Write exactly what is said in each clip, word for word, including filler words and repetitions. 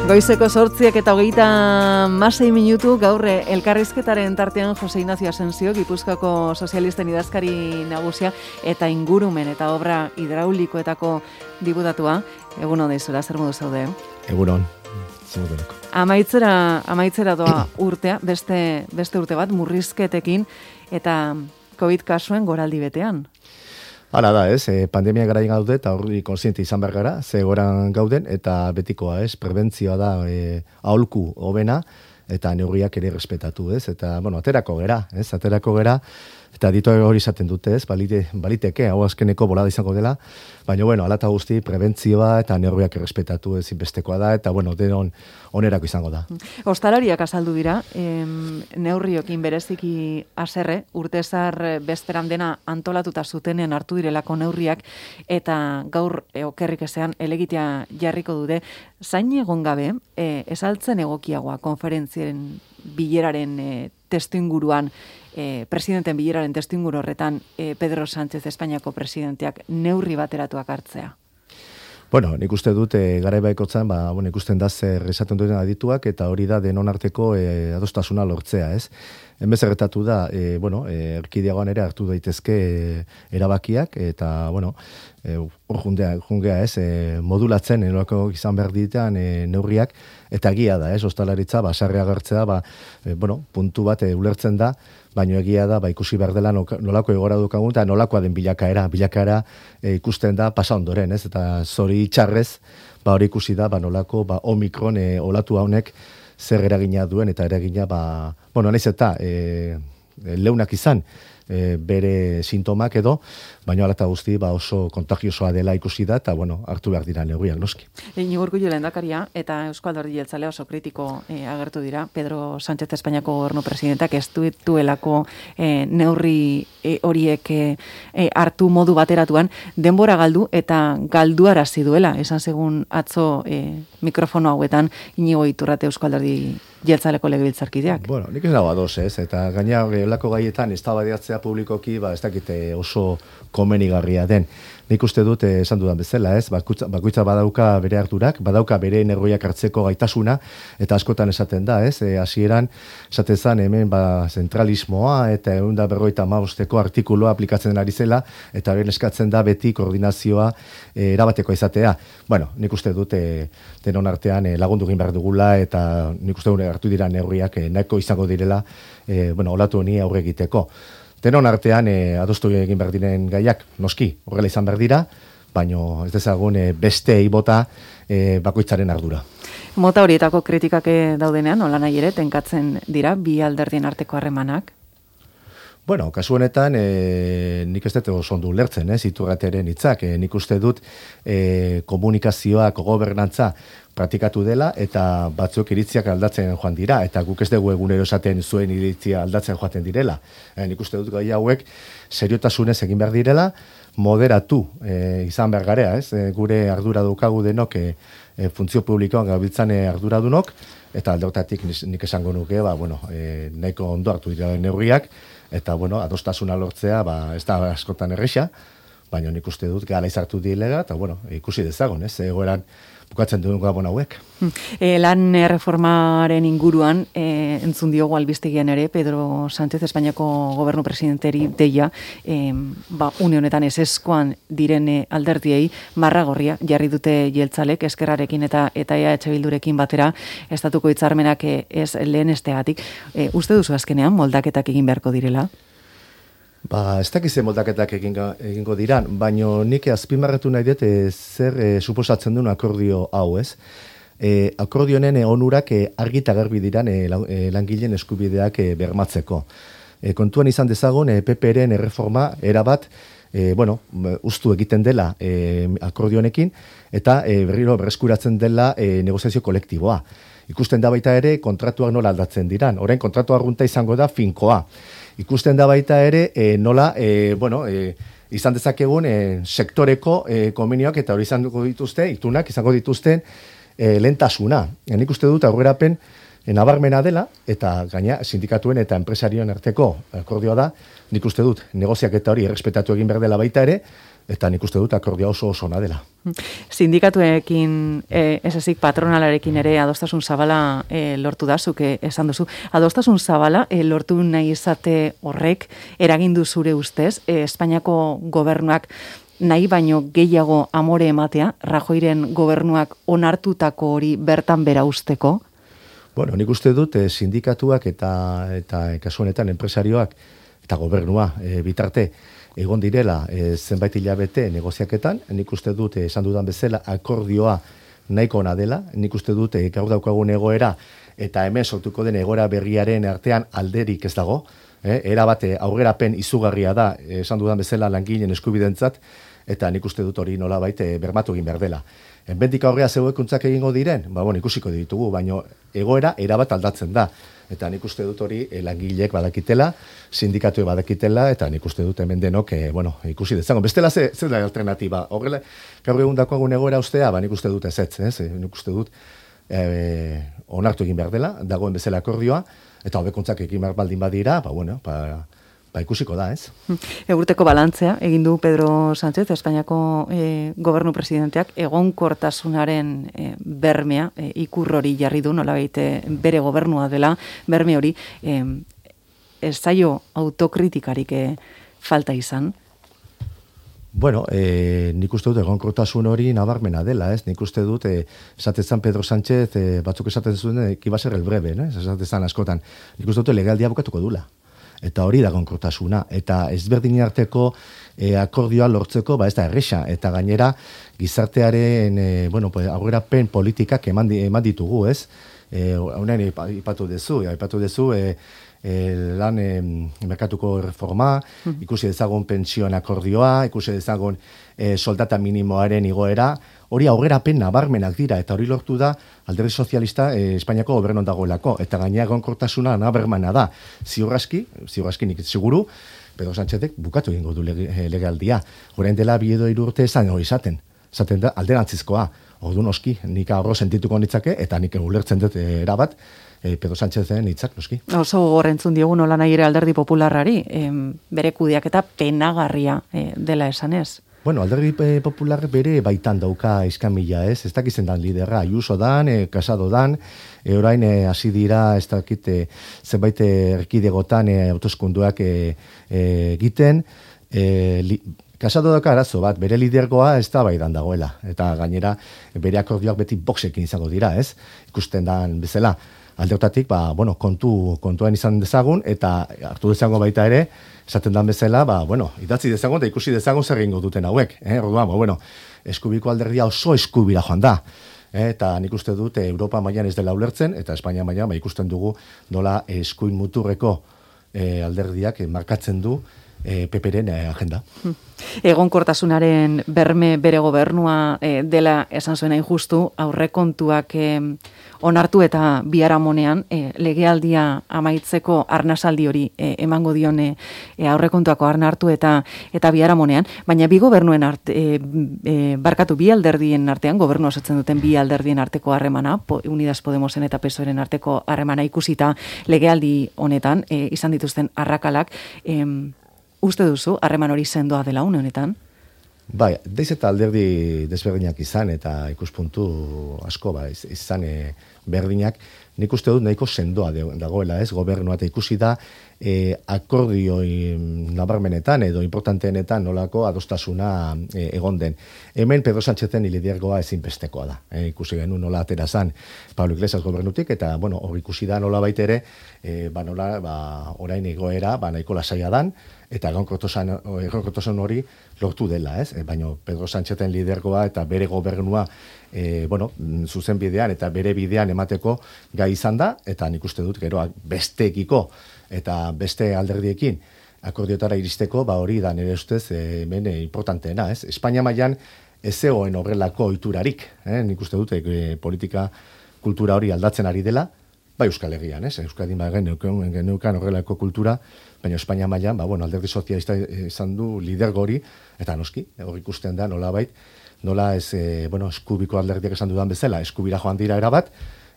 Goizeko sortziak eta hogeita masei minutu gaur elkarrizketaren tartean Jose Ignacio Asensio, Gipuzkoako sozialisten idazkari nagusia eta ingurumen eta obra hidraulikoetako diputatua. Egun hon daizura, zer modu zaude? Egun hon, zer modu Amaitzera, amaitzera doa urtea, beste, beste urte bat, murrizketekin eta COVID kasuen goraldi betean. Hala da, ez, e, pandemia garaien gaude eta horri konsiente izan behar gara, ze goran gauden, eta betikoa, ez, prebentzioa da e, aholku hobena, eta neurriak ere respetatu, ez, eta, bueno, aterako gera, ez, aterako gera, eta ditu hori izaten dute, ez, balite, baliteke, hau azkeneko bolada izango dela, baina, bueno, alata guzti, prebentzioa eta neurriak respetatu ezinbestekoa da, eta, bueno, denon onerako izango da. Ostalariak azaldu dira, em, neurriokin bereziki haserre, urtezar bezperan dena antolatuta zutenen hartu direlako neurriak, eta gaur e, okerrik ezean elegitea jarriko dute, zain egon gabe, e, esaltzen egokiagoa konferentzien bileraren e, testu inguruan, e, presidenten bileraren testu inguru horretan e, Pedro Sánchez Espainiako presidenteak neurri bateratuak hartzea. Bueno, nik uste dut e, garaibaikotzan, ba, bueno, ikusten da zer esaten duten adituak, eta hori da denon arteko e, adostasuna lortzea, ez? Hemen zerretatu da, e, bueno, e, erkideagoan ere hartu daitezke e, erabakiak, eta, bueno, e, hor jundea, jungea, ez, e, modulatzen, erako izan behar ditean e, neurriak, eta egia da, ez, ostalaritza, ba, sarri agertzea, ba, e, bueno, puntu bat e, ulertzen da, baina egia da, ba, ikusi behar dela nolako egora dukagun, eta nolakoa den bilakaera, bilakaera e, ikusten da pasa ondoren, ez, eta zori txarrez, ba, hori ikusi da, ba, nolako, ba, omikron e, olatu haunek zer eragina duen, eta eragina, ba, bueno, naiz eta e, leunak izan, e, bere sintomak edo, baina alata guzti ba, oso kontagiosoa dela ikusi da, eta bueno, hartu behar dira neurriak noski. Iñigo Urkullu lehendakaria eta Eusko Alderdi Jeltzalea oso kritiko e, agertu dira, Pedro Sánchez Espainiako gobernu presidentak ez duelako e, neurri e, horiek e, e, hartu modu bateratuan, denbora galdu eta galduarazi duela, esan segun atzo e, mikrofono hauetan Iñigo Iturrate Eusko Alderdi Jeltzaleko legebiltzarkideak. Bueno, nik ez dago ados, ez, eta gaina gelako gaietan eztabaidatzea publikoki, ba, ez dakite oso komenigarria den. Nik uste dut, esan dudan bezala, ez, bakoitza, bakoitza badauka bere harturak, badauka bere neurriak hartzeko gaitasuna, eta askotan esaten da, ez, e, hasieran esaten zen hemen ba, zentralismoa, eta ehun eta berrogeita hamabosteko artikuloa aplikatzen ari zela, eta hori eskatzen da beti koordinazioa e, erabateko izatea. Bueno, nik uste dut, e, denon artean e, lagundu egin behar dugula, eta nik uste dut hartu dira neurriak e, nahiko izango direla, e, bueno, olatu honi aurre egiteko. Denon artean e, adostu egin behar diren gaiak, noski, horrela izan behar dira, baino ez dezagun e, beste eibota e, bakoitzaren ardura. Mota horietako kritikak daudenean, hola nahi ere, tenkatzen dira, bi alderdien arteko harremanak? Bueno, kasu honetan, e, nik ez dut oso ondo ulertzen, ez, Iturrateren hitzak, e, nik uste dut e, komunikazioak, gobernantza praktikatu dela, eta batzuk iritziak aldatzen joan dira, eta guk ez dugu egunero esaten zuen iritzia aldatzen joaten direla. E, nik uste dut gai hauek seriotasunez egin behar direla, moderatu e, izan behar garea, ez, e, gure ardura daukagu denok e, e, funtzio publikoan gabiltzan e, arduradunok, eta aldeotatik nik esango nuke, ba, bueno, e, nahiko ondo hartu dira neurriak, eta, bueno, adostasuna lortzea, ba, ez da askotan erresa, baina nik uste dut gara izartu dilega, eta, bueno, ikusi dezagon, ez, egoeran bukatzen duen gabon hauek. E, lan reformaren inguruan, e, entzun diogu albistegian ere, Pedro Sánchez Espainiako gobernu presidenteri deia, e, ba, une honetan eseskoan diren alderdiei, marragorria jarri dute jeltzalek, eskerrarekin eta eta E H Bildurekin batera, estatuko hitzarmenak ez lehen estegatik. E, uste duzu azkenean, moldaketak egin beharko direla? Ba, ez dakize moldaketak egingo, egingo diran, baino nik azpimarratu nahi dut e, zer e, suposatzen duen akordio hau, ez? E, akordionen e, onurak e, argita garbi diran e, langileen eskubideak e, bermatzeko. E, kontuan izan dezagun, e, P P-ren erreforma erabat, e, bueno, ustu egiten dela e, akordionekin, eta e, berriro berreskuratzen dela e, negoziazio kolektiboa. Ikusten da baita ere kontratuak nola aldatzen diran. Orain kontratu arrunta izango da finkoa. Ikusten da baita ere e, nola, e, bueno, e, izan dezakegun e, sektoreko e, konbenioak eta hori izango dituzte, itunak izango dituzten e, lehentasuna. E, nik uste dut aurrerapen nabarmena dela, eta gaina sindikatuen eta enpresarioen arteko akordioa da, nik uste dut negoziaketa hori errespetatu egin behar dela baita ere, eta nik uste dut akordioa oso oso ona dela. Sindikatuekin, eh, ez ezik patronalarekin ere adostasun zabala eh, lortu da, zuke esan duzu. Adostasun zabala eh, lortu nahi izate horrek eragindu zure ustez, eh, Espainiako gobernuak nahi baino gehiago amore ematea, Rajoyren gobernuak onartutako hori bertan bera usteko? Bueno, nik uste dut eh, sindikatuak eta, eta kasu honetan enpresarioak eta gobernua eh, bitarte egon direla e, zenbait hilabete negoziaketan, nik uste dut esan dudan bezala akordioa nahiko ona dela, nik uste dut e, gaur daukagun egoera eta hemen sortuko den egoera berriaren artean alderik ez dago, e, era bate aurrerapen izugarria da, e, esan dudan bezala langileen eskubidentzat, eta nik uste dut hori nolabait e, bermatu egin behar dela. Enbendik aurrea zeuekuntzak egingo diren, ba, bueno, ikusiko ditugu, baino egoera erabat aldatzen da. Eta nik uste dut hori e, langileek badakitela, sindikatuek badakitela, eta nik uste dut hemen denok, e, bueno, ikusi dezago. Bestela ze, ze da alternatiba? Horrela, gaur egun dakoagun egoera ustea, ba, nik uste dut ez ez, ez? Nik uste dut e, onartu egin behar dela, dagoen bezala akordioa, eta hobekuntzak egin behar baldin badira, ba, bueno, ba, ba ikusiko da, ez? Egurteko balantzea, egin du Pedro Sánchez, Espainiako e, gobernu presidenteak, egonkortasunaren e, bermea, e, ikur hori jarri du, nolabait bere gobernua dela, berme hori, e, ez zaio autokritikarik e, falta izan? Bueno, eh, nik uste dut egonkortasun hori nabarmena dela, ez? Nik uste dut, eh, esatetzen Pedro Sánchez, eh, batzuk esaten zuen, eh, kiba ser el breve, eh? Esatetzen askotan. Nik uste dut legaldia bukatuko dula. Eta hori da egonkortasuna. Eta ezberdin arteko eh, akordioa lortzeko, ba ez da erresa. Eta gainera, gizartearen, eh, bueno, pues, aurrerapen politikak eman, eman ditugu, ez? Eh, Honean ipatu dezu, ipatu dezu, eh, E, lan e, merkatuko reforma, ikusi dezagun pentsioen akordioa, ikusi dezagun e, soldata minimoaren igoera, hori aurrerapen nabarmenak dira, eta hori lortu da alderdi sozialista e, Espainiako gobernuan dagoelako, eta gainera egonkortasuna nabarmena da. Ziurraski, ziurraski nik seguru, Pedro Sánchezek bukatu egingo du lege, legaldia. Orain dela bi edo hiru urte esan hori izaten, esaten da alderantzizkoa. Ordu noski, nik ahorro sentituko nitzake, eta nik ulertzen dut erabat, E, Pedro Sánchezen hitzak noski. Oso gorrentzun diogu nola nahi ere alderdi popularrari, em, bere kudeaketa penagarria e, dela esanez. Bueno, alderdi popular bere baitan dauka iskamila, ez? Ez dakizen dan liderra, Ayuso dan, e, Casado dan, e, orain hasi e, dira, ez dakit, e, zenbait erkidegotan e, autoskunduak e, e, egiten, e, li, Casado dauka arazo bat, bere lidergoa ez da baidan dagoela, eta gainera bere akordioak beti boxekin izango dira, ez? Ikusten dan bezala. Aldeotatik, ba, bueno, kontu, kontuan izan dezagun, eta hartu dezagun baita ere, esaten dan bezala, ba, bueno, idatzi dezagun, eta ikusi dezagun zer egingo duten hauek. Eh? Orduan, ba, bueno, eskubiko alderdia oso eskubira joan da. Eh? Eta nik uste dut, Europa mailan ez dela ulertzen, eta Espainia mailan, ba, ikusten dugu nola eskuin muturreko eh, alderdiak eh, markatzen du eh, P P-ren eh, agenda. Egonkortasunaren berme bere gobernua eh, dela esan zuen hain justu, aurrekontuak eh, onartu eta biharamonean e, legealdia amaitzeko arnasaldi hori e, emango dion e, aurrekontuako arnartu eta eta biharamonean, baina bi gobernuen art, e, e, barkatu bi alderdien artean, gobernu osatzen duten bi alderdien arteko harremana, po, Unidas Podemosen eta P S O E-ren arteko harremana ikusita legealdi honetan e, izan dituzten arrakalak, e, uste duzu harreman hori sendoa dela une honetan? Bai, deiz eta alderdi desberdinak izan eta ikuspuntu asko ba, izan e, berdinak, nik uste dut nahiko sendoa dagoela, ez, gobernua, eta ikusi da e, akordioi nabarmenetan edo importanteenetan nolako adostasuna e, egon den. Hemen Pedro Sánchezen lidergoa ezinbestekoa da. E, ikusi genuen nola atera zan Pablo Iglesias gobernutik, eta bueno, hori ikusi da nola baitere, e, ba, nola, ba, orain egoera, ba, nahiko lasaia dan, eta egonkortasun hori lortu dela, ez? E, baina Pedro Sánchezen lidergoa eta bere gobernua e, bueno, zuzen bidean eta bere bidean emateko gai izan da, eta nik uste dut gero besteekiko eta beste alderdiekin akordiotara iristeko, ba hori da nire ustez e, hemen e, importanteena, ez? Espainia mailan ez zegoen horrelako ohiturarik, eh? Nik uste dut e, politika kultura hori aldatzen ari dela, bai Euskal Herrian, ez? Euskadin ba geneukan horrelako kultura, baina Espainia mailan, ba bueno, alderdi sozialista izan du lidergo hori, eta noski, hor ikusten da nolabait, nola ez, e, bueno, eskubiko alderdiak esan dudan bezala, eskubira joan dira erabat,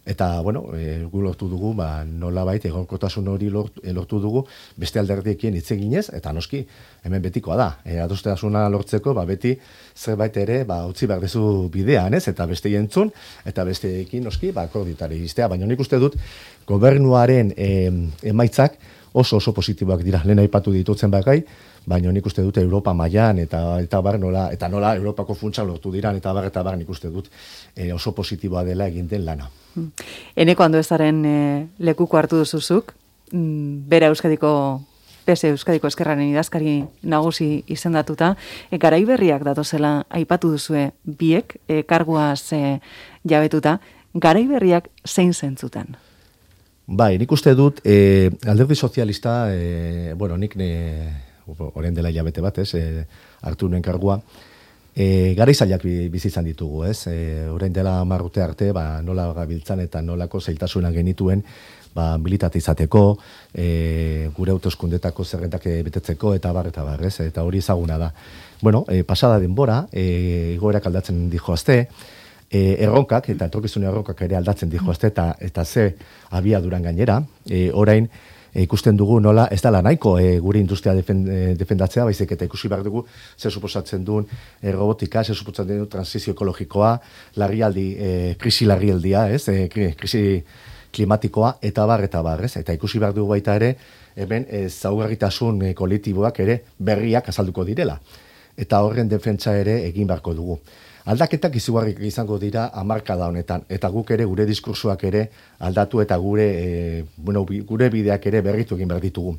Eta, bueno, e, gu lortu dugu, ba, nola baita egonkortasun hori lortu, lortu dugu, beste alderdiekin hitz eginez, eta noski, hemen betikoa da. E, adostasuna lortzeko, ba, beti zerbait ere, ba, utzi behar dezu bidean, ez? Eta beste jentzun, eta besteekin noski, ba, akordiotari iztea. Baina nik uste dut, gobernuaren e, emaitzak oso oso positiboak dira. Lehen aipatu ditutzen bakai, baina nik uste dut Europa mailan eta eta bar nola eta nola Europako funtsa lortu diran eta bar eta bar nik uste dut e, oso positiboa dela egin den lana. Eneko Anduezaren e, lekuko hartu duzuzuk, bera Euskadiko P S Euskadiko Ezkerraren idazkari nagusi izendatuta, e, garai berriak datozela aipatu duzue biek e, karguaz e, jabetuta, garai berriak zein zentzutan? Bai, nik uste dut e, alderdi sozialista, e, bueno, nik ne orain dela hilabete bat, ez, e, hartu nuen kargua, e, gara izaliak bizizan ditugu, ez, e, orain dela marrute arte, ba, nola gabiltzan eta nolako zailtasunak genituen, ba, militate izateko, e, gure autoskundetako zerrentak betetzeko, eta bar, eta bar, ez, eta hori ezaguna da. Bueno, e, pasada denbora, e, igoerak aldatzen dijoazte, e, erronkak, eta etorkizune erronkak ere aldatzen dijoazte, eta, eta ze abiaduran gainera, e, orain, E, ikusten dugu nola ez dela nahiko e, gure industria defen, e, defendatzea, baizik eta ikusi behar dugu zer suposatzen duen e, robotika, zer suposatzen duen transizio ekologikoa, larrialdi, e, krisi larrialdia, ez, e, krisi klimatikoa, eta bar, eta bar, ez, eta ikusi behar dugu baita ere, hemen e, zaugarritasun e, kolektiboak ere berriak azalduko direla, eta horren defentsa ere egin beharko dugu. Aldaketak izugarrik izango dira hamarkada honetan, eta guk ere gure diskursoak ere aldatu eta gure, e, bueno, gure bideak ere berritu egin behar ditugu.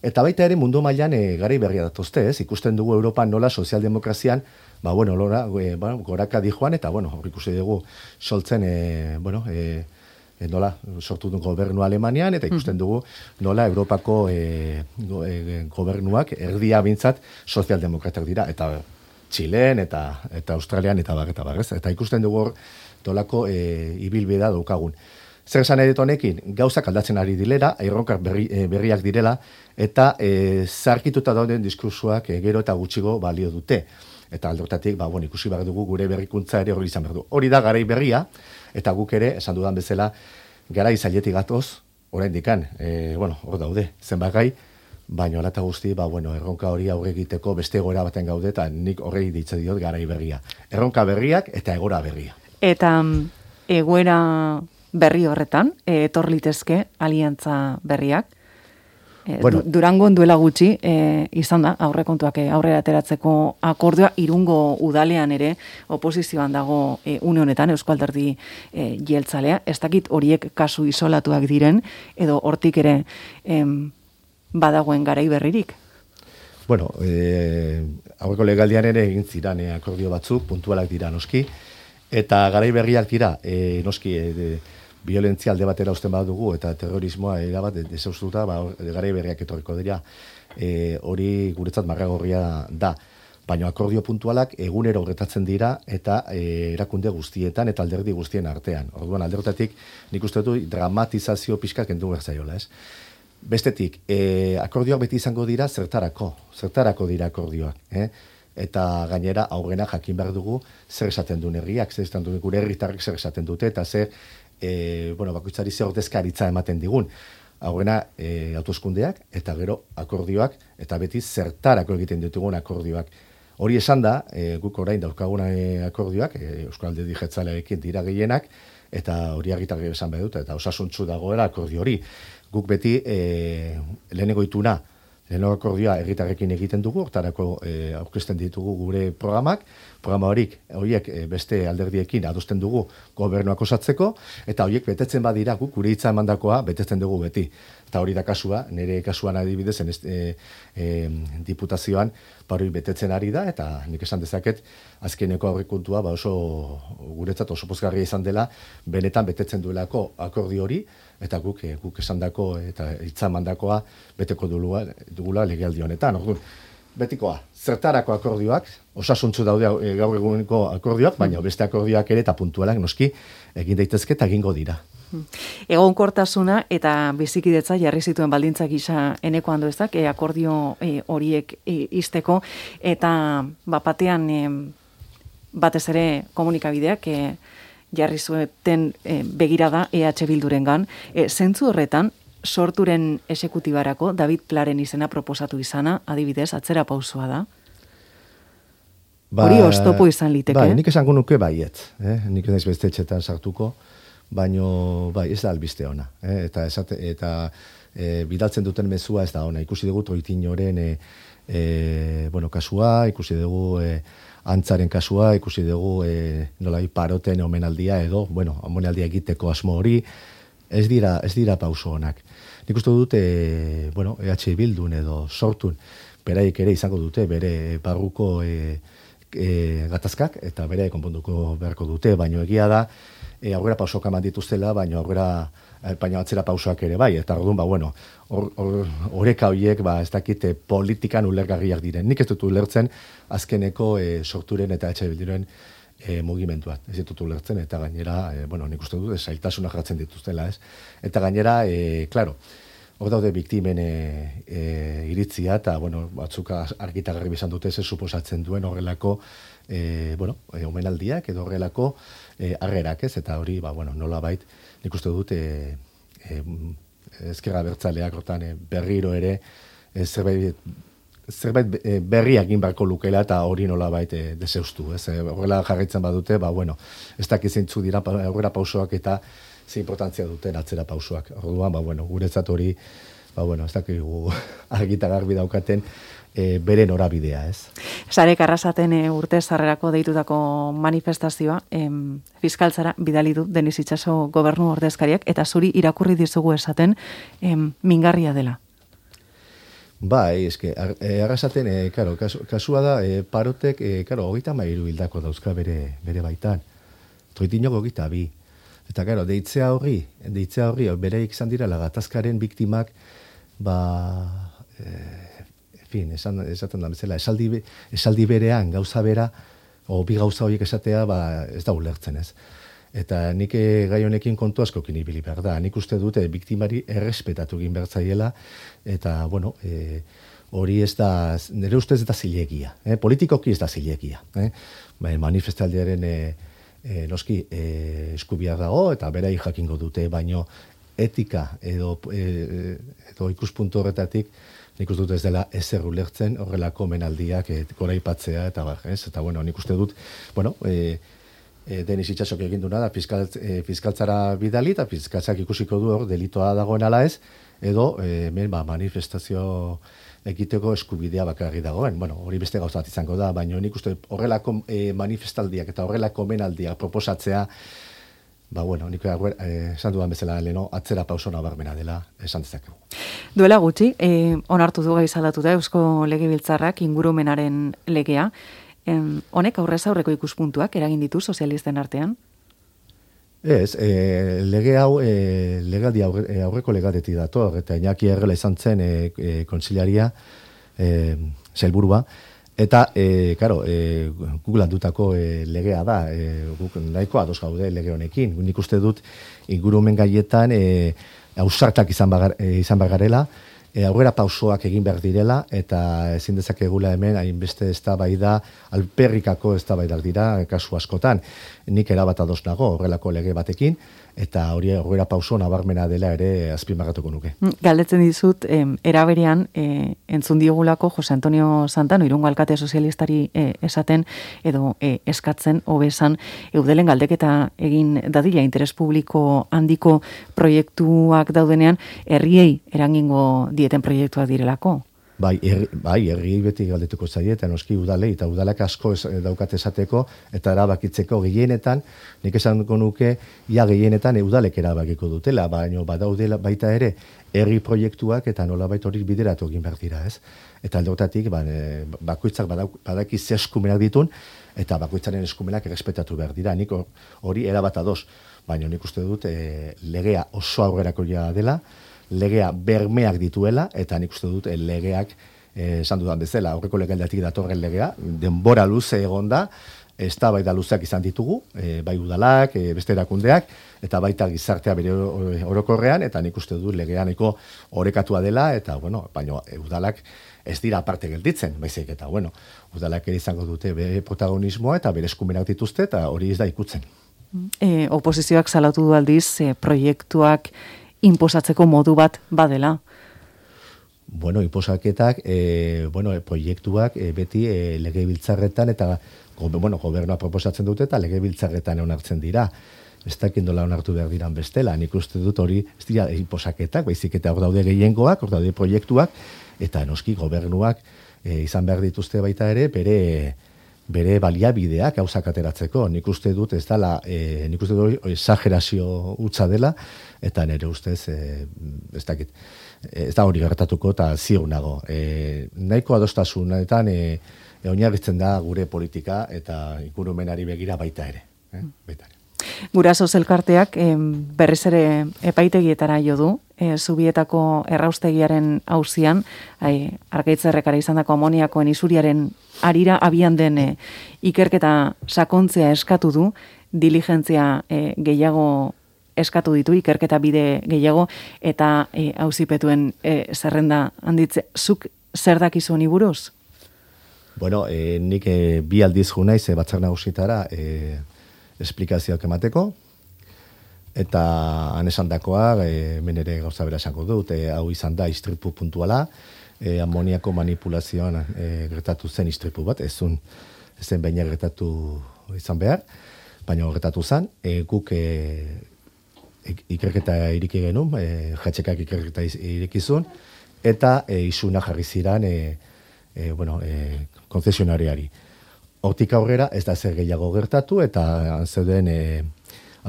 Eta baita ere mundu mailan e, garai berria datozte, ez? Ikusten dugu Europan nola sozialdemokrazian, ba, bueno, lora, e, ba, goraka dijoan, eta, bueno, hor ikusi dugu soltzen, e, bueno, e, e, nola, sortu du gobernu Alemanian, eta ikusten dugu nola Europako e, go, e, gobernuak erdia bintzat sozialdemokratak dira, eta Txilen eta eta Australian eta bar eta bar, ez? Eta ikusten dugu hor dolako e, ibilbidea daukagun. Zer esan edit honekin, gauzak aldatzen ari dilera, erronkak berri, e, berriak direla, eta e, zarkituta dauden diskursuak e, gero eta gutxigo balio dute. Eta aldortatik, ba, bueno, ikusi behar dugu gure berrikuntza ere hori izan behar du. Hori da garai berria, eta guk ere, esan dudan bezala, garai zailetik gatoz, orain dikan, e, bueno, hor daude, zenbat gai, baina alata guzti, ba, bueno, erronka hori aurre egiteko beste egora baten gaude, eta nik horrei ditze diot garai berria. Erronka berriak eta egora berria. Eta egoera berri horretan, etor litezke aliantza berriak, e, bueno, Durangon duela gutxi, e, izan da, aurrekontuak aurrera ateratzeko akordioa, Irungo udalean ere oposizioan dago e, une honetan, Eusko Alderdi e, jeltzalea, ez dakit horiek kasu isolatuak diren, edo hortik ere em, badagoen garai berririk? Bueno, eh, aurreko legaldian ere egin ziran eh, akordio batzuk, puntualak dira noski, eta garai berriak dira, eh, noski, eh, violentzia alde batera usten badugu, eta terrorismoa erabat desaustuta, ba, garai berriak etorriko dira, eh, hori guretzat marragorria da. Baina akordio puntualak egunero gertatzen dira eta e, erakunde guztietan eta alderdi guztien artean. Orduan aldertatik nik uste dut dramatizazio pixka kendu behar zaiola, ez? Bestetik, e, akordioak beti izango dira zertarako, zertarako dira akordioak, eh? Eta gainera aurrena jakin behar dugu zer esaten duen herriak, zer esaten duen gure herritarrek zer esaten dute, eta zer, e, bueno, bakoitzari zer ordezkaritza ematen digun. Aurrena e, autoskundeak eta gero akordioak, eta beti zertarako egiten ditugun akordioak. Hori esan da, e, guk orain daukaguna akordioak, e, Euskal Alderdi Jeltzalearekin dira gehienak, eta hori argitarri esan behar dut, eta osasuntsu dagoela akordio hori. Guk beti e, lehenengo ituna, lehenengo akordioa herritarrekin egiten dugu, hortarako e, aurkezten ditugu gure programak, programa horik, horiek e, beste alderdiekin adosten dugu gobernuak osatzeko, eta horiek betetzen badira guk gure hitza emandakoa betetzen dugu beti. Eta hori da kasua, nire kasuan adibidez, e, e, diputazioan, hori betetzen ari da, eta nik esan dezaket, azkeneko aurrekontua ba oso guretzat oso pozgarria izan dela, benetan betetzen duelako akordio hori, eta guk e, guk esandako eta hitza emandakoa beteko dugula, dugula legealdi honetan. Orduan, betikoa, zertarako akordioak, osasuntzu daude e, gaur eguneko akordioak, baina beste akordioak ere eta puntualak noski egin daitezke eta egingo dira. Egonkortasuna eta bizikidetza jarri zituen baldintzak gisa Eneko Anduezak e, akordio e, horiek e, izteko, eta bapatean e, batez ere komunikabideak e, jarri zueten e, begirada E H Bildurengan. E, zentzu horretan, sorturen esekutibarako David Plaren izena proposatu izana, adibidez, atzera pausua da. Ba, hori oztopo izan liteke. Bai, nik esango nuke baiet. Eh? Nik naiz beste etxetan sartuko, baino bai, ez da albiste ona. Eh? Eta, esate, eta e, bidaltzen duten mezua ez da ona. Ikusi dugu Troitinoren e, e, bueno, kasua, ikusi dugu e, antzaren kasua, ikusi dugu e, nolai paroten omenaldia edo, bueno, omenaldia egiteko asmo hori, ez dira, ez dira pauso onak. Nik uste dut, e, bueno, E H Bildun edo sortun, beraik ere izango dute, bere barruko e, E, gatazkak, eta bere konponduko beharko dute, baino egia da, e, aurrera pausoak eman dituztela, baino aurrera, e, baino atzera pausoak ere bai, eta orduan, ba, bueno, horeka or, horiek, ba, ez dakite politikan ulergarriak diren. Nik ez dut ulertzen, azkeneko e, sorturen eta etxe bildiren e, mugimenduak. Ez ditut ulertzen, eta gainera, e, bueno, nik uste dut, zailtasunak jartzen dituztela, ez? Eta gainera, e, klaro, hor daude biktimen e, e, iritzia, eta, bueno, batzuk argitagarri bizan dute ze suposatzen duen horrelako, e, bueno, e, omenaldiak edo horrelako e, arrerak, ez? Eta hori, ba, bueno, nola bait, nik uste dut, e, e, ezkerra bertzaleak hortan e, berriro ere, e, zerbait, zerbait e, berriak egin beharko lukela, eta hori nola bait e, deseustu, ez? E, horrela jarraitzen badute, ba, bueno, ez dakizeintzu dira aurrera pausoak eta ze importantzia duten atzera pausoak. Orduan, ba, bueno, guretzat hori, ba, bueno, ez dakigu argita garbi daukaten e, bere norabidea, ez? Sarek arrasaten e, urte zarrerako deitutako manifestazioa, em, fiskaltzara bidali du Denis Itxaso gobernu ordezkariak, eta zuri irakurri dizugu esaten em, mingarria dela. Bai, eske, ar, e, arrasaten, e, karo, kasu, kasua da, e, parotek, e, karo, hogeita mairu hildako dauzka bere, bere baitan. Troitinok hogeita bi. Eta, gero, deitzea horri, deitzea horri, bereik izan dira gatazkaren biktimak, ba, e, en fin, esan, esaten da bezala, esaldi, esaldi berean, gauza bera, o bi gauza horiek esatea, ba, ez da ulertzen, ez. Eta nik gai honekin kontu askokin ibili behar da. Nik uste dute biktimari errespetatu egin behar zaiela, eta, bueno, e, hori ez da, nire ustez ez da zilegia. Eh? Politikoki ez da zilegia. Eh? Ba, manifestaldiaren e, E, noski e, eskubiak dago eta berai jakingo dute, baino etika edo, e, edo ikuspuntu horretatik nik uste dut ez dela ezer ulertzen horrelako menaldiak e, goraipatzea eta bar, ez? Eta bueno, nik uste dut, bueno, e, e, Denis Itxasok egin duna da fiskal, e, fiskaltzara bidali eta fiskaltzak ikusiko du hor delitoa dagoen ala ez, edo e, men, ba, manifestazio egiteko eskubidea bakarri dagoen. Bueno, hori beste gauza bat izango da, baina nik uste horrelako e, manifestaldiak eta horrelako menaldiak proposatzea, ba, bueno, nik eh, esan dudan bezala leno, atzera pauso nabarmena dela esan dezakegu. Duela gutxi, eh, onartu du gaizalatu da Eusko Legebiltzarrak ingurumenaren legea. Em, honek aurrez aurreko ikuspuntuak eragin ditu sozialisten artean? Ez, e, lege hau, e, legaldi aurre, aurreko legadetik dator, eta Iñaki Errela izan zen e, e, kontsiliaria, e, sailburua, eta, e, karo, e, guk landutako e, legea da, e, guk nahiko ados gaude lege honekin. Nik uste dut ingurumen gaietan e, ausartak izan, bagar, e, izan bagarela, e, aurrera pausoak egin behar direla, eta ezin dezakegula hemen hainbeste eztabaida, alperrikako eztabaidak dira kasu askotan. Nik erabat ados nago horrelako lege batekin, eta hori aurrera pauso nabarmena dela ere azpimarratuko nuke. Galdetzen dizut, em, eraberean, e, entzun diogulako Jose Antonio Santano, Irungo alkate sozialistari e, esaten, edo e, eskatzen, hobesan, eudelen galdeketa egin dadila interes publiko handiko proiektuak daudenean, herriei erangingo dieten proiektuak direlako. Bai, herri, bai, herri beti galdetuko zaie, eta noski udalei, eta udalak asko ez, daukat esateko, eta erabakitzeko gehienetan, nik esango nuke, ia gehienetan udalek erabakiko dutela, baina badaudela baita ere, herri proiektuak eta nolabait hori bideratu egin behar dira, ez? Eta aldeotatik, ba, bakoitzak badaki ze eskumenak ditun, eta bakoitzaren eskumenak errespetatu behar dira. Nik hori erabat ados, baina nik uste dut e, legea oso aurrerakoia dela, legea bermeak dituela, eta nik uste dut legeak, esan dudan bezala, aurreko legaldatik datorren legea, denbora luze egon da, eztabaida luzeak izan ditugu, e, bai udalak, e, beste erakundeak, eta baita gizartea bere orokorrean, eta nik uste dut legeaneko orekatua dela, eta, bueno, baina udalak ez dira aparte gelditzen, baizik, eta, bueno, udalak ere izango dute bere protagonismoa, eta bere eskumenak dituzte, eta hori ez da ikutzen. E, oposizioak salatu du aldiz e, proiektuak inposatzeko modu bat badela. Bueno, inposaketak, e, bueno, proiektuak e, beti e, legebiltzarretan eta bueno, gobernua proposatzen dute eta legebiltzarretan onartzen dira. Ez dakit nola onartu behar diran bestela. Nik uste dut hori ez dira inposaketak, baizik eta hor daude gehiengoak, hor daude proiektuak, eta noski gobernuak e, izan behar dituzte baita ere, bere bere baliabideak gauzak ateratzeko. Nik uste dut ez dela, e, nik uste dut exagerazio hutsa dela, eta nire ustez, e, ez dakit, ez da hori gertatuko eta ziur nago. E, nahiko adostasunetan e, e, oinarritzen da gure politika eta ingurumenari begira baita ere. Eh? Baita ere. Guraso elkarteak eh, berriz ere epaitegietara jo du, eh, Zubietako erraustegiaren auzian, ai, Arkaitzerrekara izandako amoniakoen isuriaren arira abian den eh, ikerketa sakontzea eskatu du, diligentzia eh, gehiago eskatu ditu, ikerketa bide gehiago, eta eh, auzipetuen eh, zerrenda handitze. Zuk zer dakizu honi buruz? Bueno, eh, nik eh, bi aldiz jo naiz eh, batzar nagusitara eh, esplikazioak emateko, eta han esandakoa, e, hemen ere gauza bera esango dut, e, hau izan da istripu puntuala, e, amoniako manipulazioan e, gertatu zen istripu bat, ezun ezen baina gertatu izan behar, baina gertatu zen, e, guk e, ikerketa iriki genuen, e, jatxekak ikerketa irikizun, eta e, isuna jarri ziran e, e, bueno, e, konzesionariari. Hortik aurrera ez da zer gehiago gertatu eta zeuden e,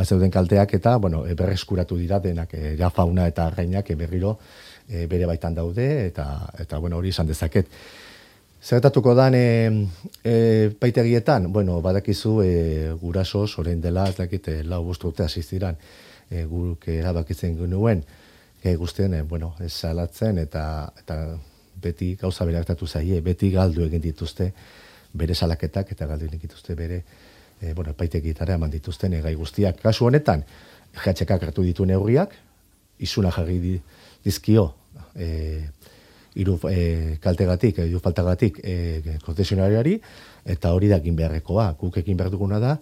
zeuden kalteak eta bueno, e, berreskuratu dira denak e, ja fauna eta arrainak e, berriro e, bere baitan daude eta eta bueno, hori izan dezaket. Zertatuko dan e, e, paitegietan, bueno, badakizu e, guraso orain dela ez dakit e, lau bost urte hasi ziran e, guk erabakitzen genuen e, guztien e, bueno, ez salatzen eta eta beti gauza bere gertatu zaie, beti galdu egin dituzte bere salaketak eta galdu egin dituzte bere e, bueno, epaitegietara eman dituzten gai guztiak. Kasu honetan, jatxekak hartu ditu neurriak, isuna jarri dizkio e, iru e, kaltegatik, iru faltagatik e, konzesionariari, eta hori da egin beharrekoa. Guk egin behar duguna da,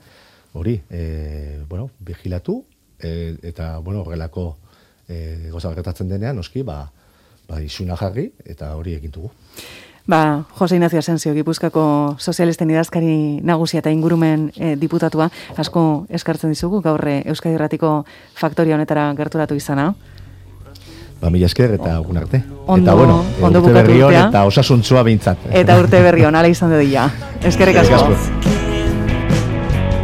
hori, e, bueno, vigilatu, e, eta, bueno, horrelako e, goza gertatzen denean, noski, ba, ba, isuna jarri, eta hori egin dugu. Ba, Jose Ignacio Asensio, Gipuzkoako sozialisten idazkari nagusia eta ingurumen eh, diputatua, asko eskartzen dizugu, gaur Euskadi Irratiko faktoria honetara gerturatu izana. Ba, mila esker eta egun arte. Ondo, eta bueno, ondo urte berri hon eta osasuntzua behintzat. Eta urte berri hon, ala izan dut dira. Eskerrik asko.